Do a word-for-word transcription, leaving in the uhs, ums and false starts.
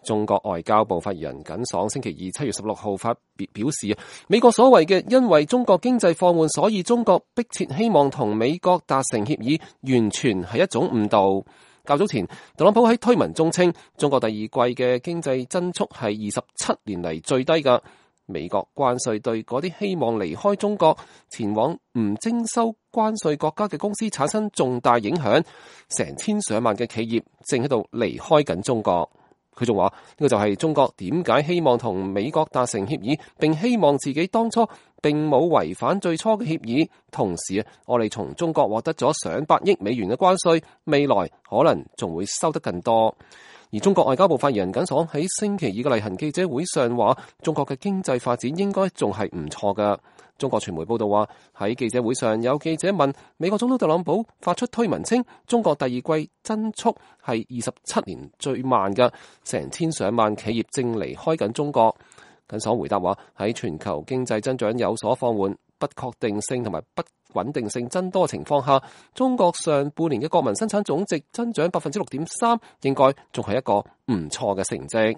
中國外交部發言人耿爽星期二七月十六號發表表示，美國所謂嘅因為中國經濟放緩，所以中國迫切希望同美國達成協議，完全係一種誤導。較早前，特朗普喺推文中稱，中國第二季嘅經濟增速係二十七年嚟最低㗎。美國關稅對嗰啲希望離開中國前往唔徵收關稅國家嘅公司產生重大影響，成千上萬嘅企業正喺度離開緊中國。佢仲話呢個就係中國點解希望同美國達成協議，並希望自己當初並冇違反最初嘅協議。同時啊，我哋從中國獲得咗上百億美元嘅關稅，未來可能仲會收得更多。而中國外交部發言人耿爽喺星期二嘅例行記者會上話，中國嘅經濟發展應該仲係唔錯㗎。中國傳媒報道話，喺記者會上有記者問美國總統特朗普發出推文稱，中國第二季增速係二十七年最慢㗎，成千上萬企業正離開緊中國。耿爽回答話，喺全球經濟增長有所放緩、不確定性同埋不穩定性增多情況下，中國上半年嘅國民生產總值增長百分之六點三，應該仲係一個唔錯嘅成績。